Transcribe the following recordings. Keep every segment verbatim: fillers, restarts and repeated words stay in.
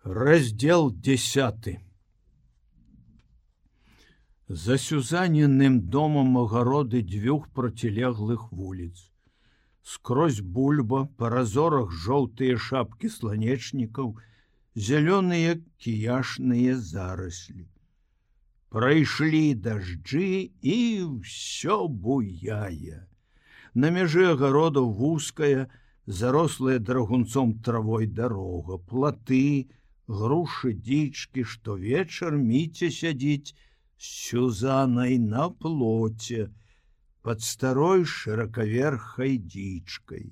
Раздел десятый. За Сюзаниным домом огороды дзвюх процілеглых вуліц. Скрозь бульба, па разорах жоўтыя шапкі сланечнікаў, зялёныя кіяшныя зараслі. Прайшлі дажджы, і ўсё буяе. На мяжы агародаў вузкая, зарослая драгунцом травой дарога, платы, грушы, дзічкі, штовечар Міця сядзіць з Сюзанай на плоце пад старой шыракаверхай дзічкай.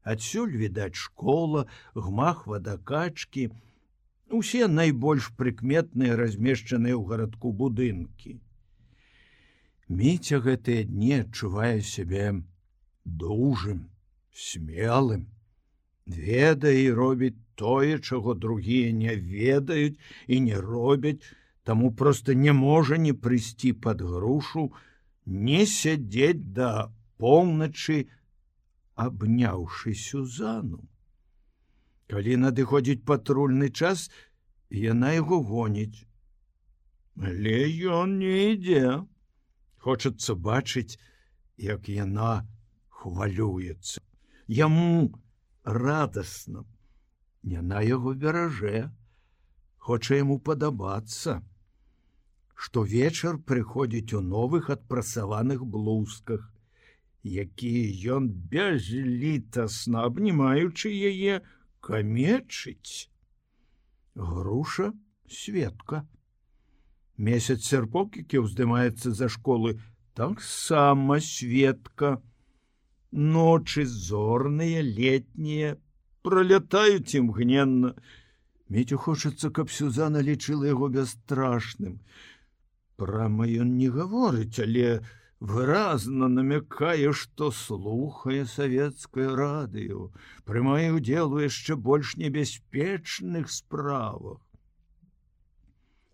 Адсюль відаць школа, гмах вадакачкі, усе найбольш прыкметныя размешчаныя ў гарадку будынкі. Міця гэтыя дні адчувае сябе дужым, смелым, ведае і робіць тое, чаго другія не ведаюць і не робяць, таму проста не можа не прыйсці пад грушу, не сядзець да поўначы, абняўшы Сюзану. Калі надыходзіць патрульны час, яна яго гоніць. Але ён не ідзе. Хочацца бачыць, як яна хвалюецца. Яму радасна. Яна яго беражэ, хоча яму падабацца. Штовечар прыходзіць у новых адпрасаваных блузках, якія ён бязлітасна, абнімаючы яе, камечыць. Груша Светка. Месяц серпок, які ўздымаецца за школы, таксама Светка. Ночы зорныя, летнія, пролятаюць імгненна. Міцю хочацца, каб Сюзана лічыла яго бясстрашным. Прама ён не гаворыць, але выразна намякае, што слухае савецкае радыё, прымае ўдзел у яшчэ больш небяспечных справах.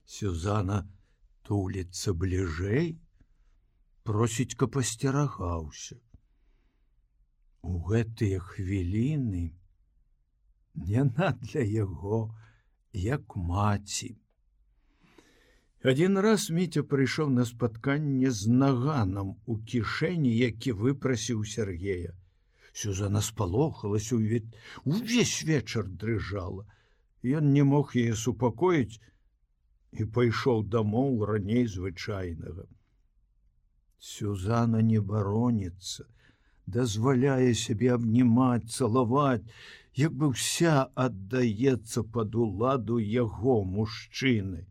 Сюзана туліцца бліжэй, просіць, каб асцерагаўся. У гэтыя хвіліны яна для яго як маці. Адзін раз Міця прыйшоў на спатканне з наганам у кішэні, які выпрасіў Сергея. Сюзана спалохалася, увесь вечар дрыжала. Ён не мог яе супакоіць і пайшоў дамоў раней звычайнага. Сюзана не бароніцца, дазваляе сябе абнімаць, цалаваць, як бы ўся аддаецца пад уладу яго мужчыны.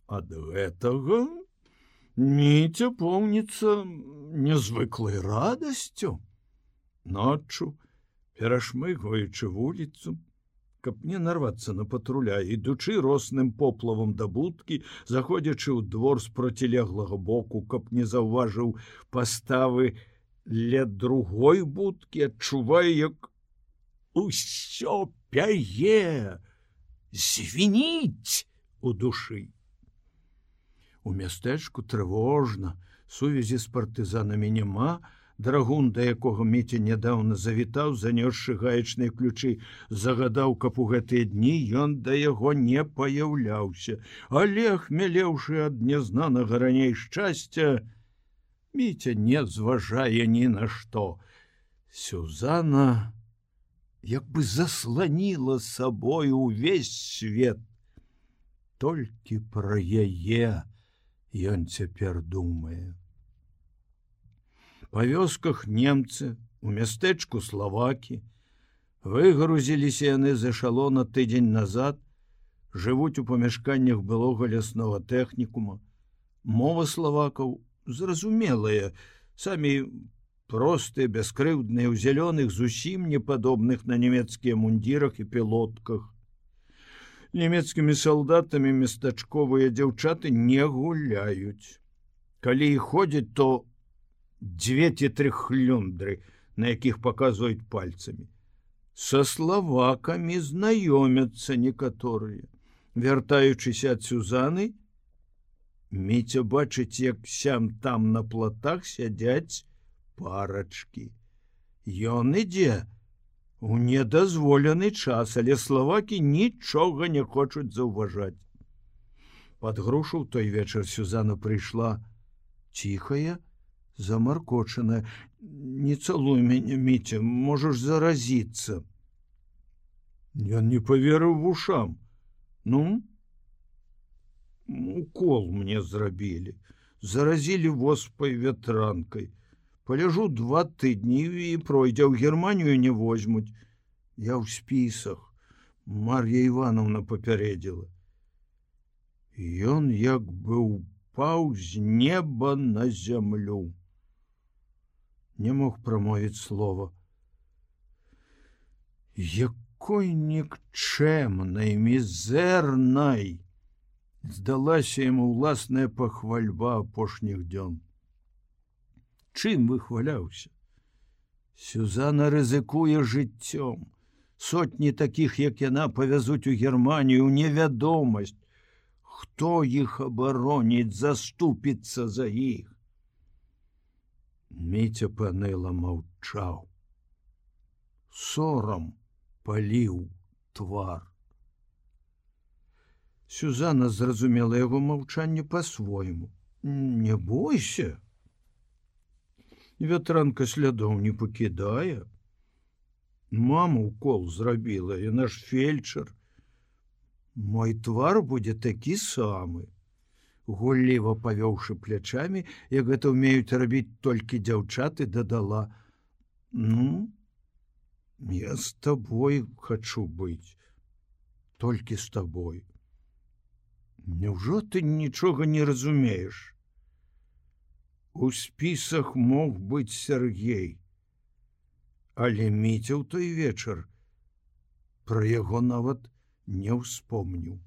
Ад гэтага Міця поўніцца нязвыклай радасцю. Ноччу, перашмыгваючы вуліцу, каб не нарвацца на патруля, ідучы росным поплавам да будкі, заходзячы ў двор з процілеглага боку, каб не заўважыў паставы ля другой будкі, адчувае, як усё пяе, звініць у душы. У мястэчку трывожна, сувязі з партызанамі няма, драгун, да якога Міця нядаўна завітаў, занёсшы гаечныя ключы, загадаў, каб у гэтыя дні ён да яго не паяўляўся. Але, хмелеўшы ад нязнанага раней шчасця, Міця не зважае ні на што. Сюзана як бы засланіла сабою ўвесь свет. Толькі пра яе ён цяпер думае. Па вёсках немцы, у мястэчку славакі. Выгрузіліся яны з эшалона тыдзень назад, жывуць у памяшканнях былога ляснога тэхнікума. Мова славакаў зразумелая, самі простыя, бяскрыўдныя, у зялёных, зусім не падобных на нямецкія мундзірах і пілотках. Нямецкімі салдатамі местачковыя дзяўчаты не гуляюць. Калі і ходзяць, то дзве ці тры хлюндры, на якіх паказваюць пальцамі. Са славакамі знаёмяцца некаторыя. Вяртаючыся ад Сюзаны, Міця бачыць, як сям там на платах сядзяць парачкі. Ён ідзе у недазволены час, але славакі нічога не хочуць заўважаць. Пад грушу ў той вечар Сюзанна прыйшла ціхая, замаркочаная. Не цалуй мяне, Міця, можаш заразіцца. Ён не поверыў вушам. Ну, укол мне зрабілі, заразілі воспай ветранкай. Паляжу два тыдні і пройдзе, ў Германію не возьмуць. Я ў спісах. Мар'я Івановна папярэдзіла. Ён як бы упаў з неба на зямлю. Не мог прамовіць слова. Якой нікчэмнай, мізэрнай здалася яму ўласная пахвальба апошніх дзён. Чым выхваляўся? Сюзанна рызыкуе жыццём. Сотні такіх, як яна, павязуць у Германію, у невядомасць. Хто іх абароніць, заступіцца за іх? Міця панэла маўчаў. Сорам паліў твар. Сюзанна зразумела яго маўчанне па-свойму. Не бойся. Ветранка слядоў не пакідае. Мама укол зрабіла, яна ж фельчар. Мой твар будзе такі самы. Гулліва павёўшы плячамі, як гэта ўмеюць рабіць толькі дзяўчаты, дадала: Ну, я з табой хачу быць. Толькі з табой. Няўжо ты нічога не разумееш? У спісах мог быць Сергей. Але Міця ў той вечар пра яго нават не ўспомніў.